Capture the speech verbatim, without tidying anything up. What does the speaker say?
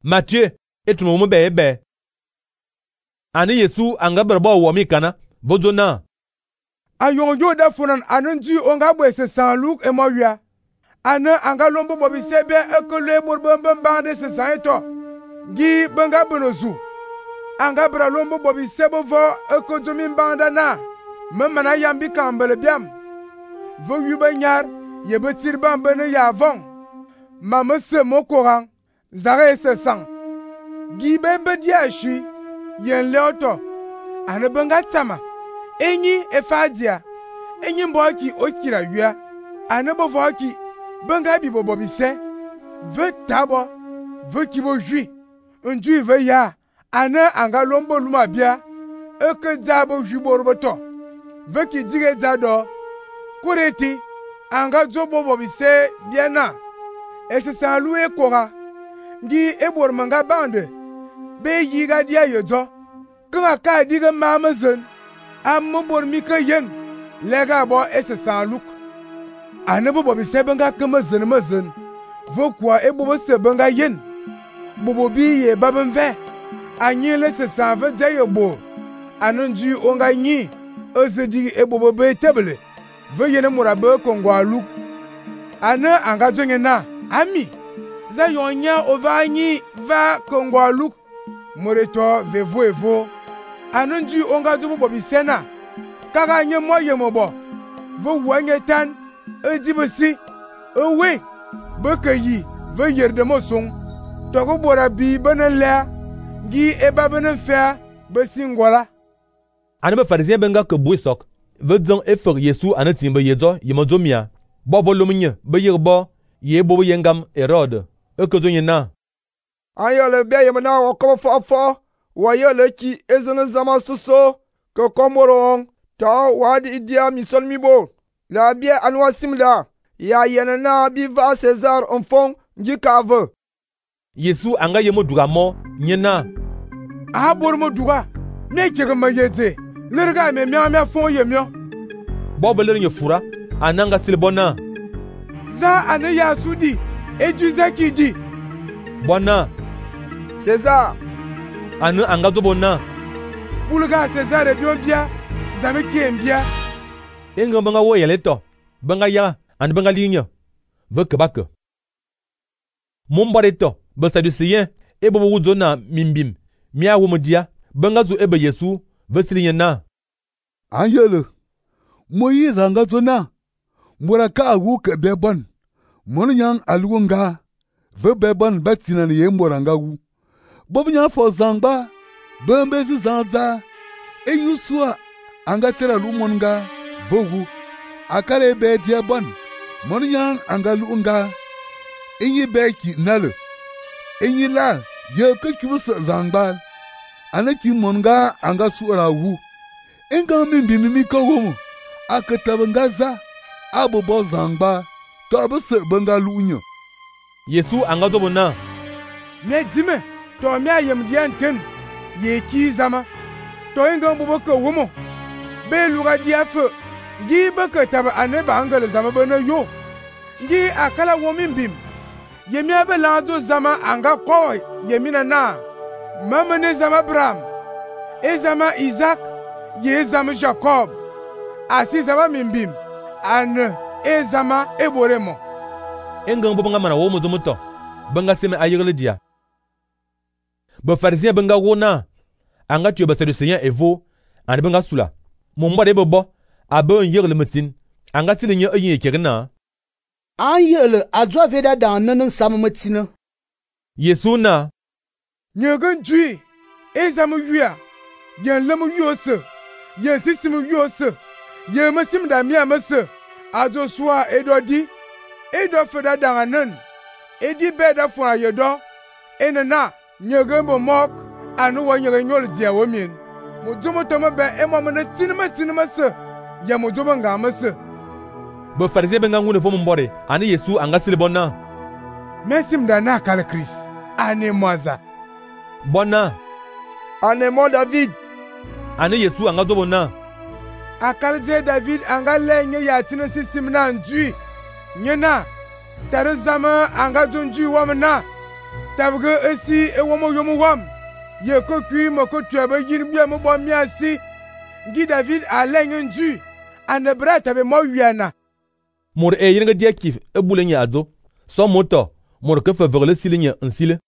Matthieu etumo mu be be. Ani Yesu anga berbo wo mi kana vodona. Ayon yo da funan anan ju onga bwe se Saint Luc e mo wia. Ana anga lombo bobi sebe ekole borbamba bande se Saint-to. Gi banga bonozu. Anga bra lombo bobi sebo vo ekojomi banda na. Memana yambi kambele biam. Vo yuba nyar ye betir bamba ne ya von. Mama se mokorang zare se sang. Gi bembe dia shi yen leoto. Ana banga tsama. Enyi efadia. Enyi mboki okira wia. Ana bovoki banga bi bobi se. Ve tabo. Ve kibo jui. Unju ve ya. Ana anga lombo luma bia. Eke zabo juborboto. Ve ki dige zado. Kureti. Anga zobo bobi se biena. Ese sanlu e kora. Ngi ebor manga bande. Be yiga dia yozo. Kanga ka diga mamazen. Amma bor mika yen. Lega bo ese sanluk. Anebo bobi se benga kama zen mazen. Vokwa ebo se benga yen. Bobo bi ye babenve. Anyi le se sanve zeyo bo. Anunji onga nyi. Ozedi ebo be tebele. Ve yene murabe kongwa luk. Ana anga jonge na. Ami. Za yonya ova nyi va kongwa luk. Moreto vevo evo. Anunji onga zubo bobi sena. Kaka nye mo ye mobo. Vo wanye tan. Edibesi. Ewe. Beke yi. Ve yerde mo song. Toko bora bi benen lea. Gi eba benen fea. Besi ngola. Ane be farisien benga ke bouy sok. Ve dzang efer Yesu ane timbe yezo yemozo mia. Bo volumnye be yirbo ye bobo yengam Herode. Eke zonye na. Anya le bia yemena wakobo fo fo. Wa ye le ki ezene zama soso. Ke komoro on. Ta wadi idia mison mibo. La bia anwa simla. Ya yenena bi va César enfant njikave. Yesu anga yemo duramo nyena. Aha bor mo duga. Me kege ma yeze. Lerga me mia mia fon ye mio. Bo beler nye fura ananga silbona. Za ane ya sudi. Eju zaki di. Bona. César. Ane anga zobona. Bulga César e bion bia. Zame ki embia. Enga banga wo yeleto. Banga ya ane banga ligne. Veke bake. Mombareto. Be sadusien. Ebo wuzona mimbim. Mia wumodia. Banga zu ebe Yesu. Vesiligne na. Angele. Moïse anga zona. Mura ka agu ke bebon. Mon yang aluonga. Ve bebon betina ni yemboranga wu. Bob nya fo zangba. Bembezi zanza. Enyusua. Anga tera lumonga. Vogu. Akale be diabon. Mon yang anga luonga. Enyi beki nale. Enyi la. Ye ke kibusa zangba. Anaki monga anga suara wu. Enga mimbi mimi kawomo. Akatabangaza. Abo bo zangba. To abese benga lunyo. Yesu anga zobona. Me dime. To mi ayem dian ten. Ye ki zama. To enga mbobo ke womo. Be luga diafe. Gi beke taba ane ba angele zama bena yo. Gi akala womimbim. Yemi abe lanzo zama anga koy. Yemina na. Mama ne zama Abraham. E zama Isaac. Ye zama Jacob. Asi zama mimbim. Ane. E zama eboremo. Enga mbo banga mana wo mo zomuto. Banga seme ayirle dia. Be farisien benga wona. Anga tu be sadusien evo. Ane benga sula. Momba de bobo. Abe yirle metin. Anga silinye eyin ekirina. Anyele adwa veda dan nanan samemetina. Yesu na. Nyegen jui. E zama yuya. Yen lemu yose. Yen sisimu yose. Yen mesim da miya mese. Ajo swa edo di. Edo feda danganen. Edi beda fwa yedo. Enena. Nyegen bo mok. Anu wa nyegen nyol diya womin. Mujomo tome be emo mene tinime tinime se. Yen mujomo nga mese. Be farisien benga ngune fo mbore. Ani Yesu anga silibona. Mesim da na kale Chris. Ane mwaza. Bona. Ane mo David. Ane Yesu anga zobona. Akalze David anga lenye ya tine sisim na njui. Nyena. Tere zama anga jonjui wamna. tabge esi e womo yomo wam ye ko kui mo ko twebe yin bia mo bo mi asi ngi David a lengi nju ane bra tabe mo wiana mor e yinga dia kif e bule nya azo so moto mor ke fa verle silinya nsile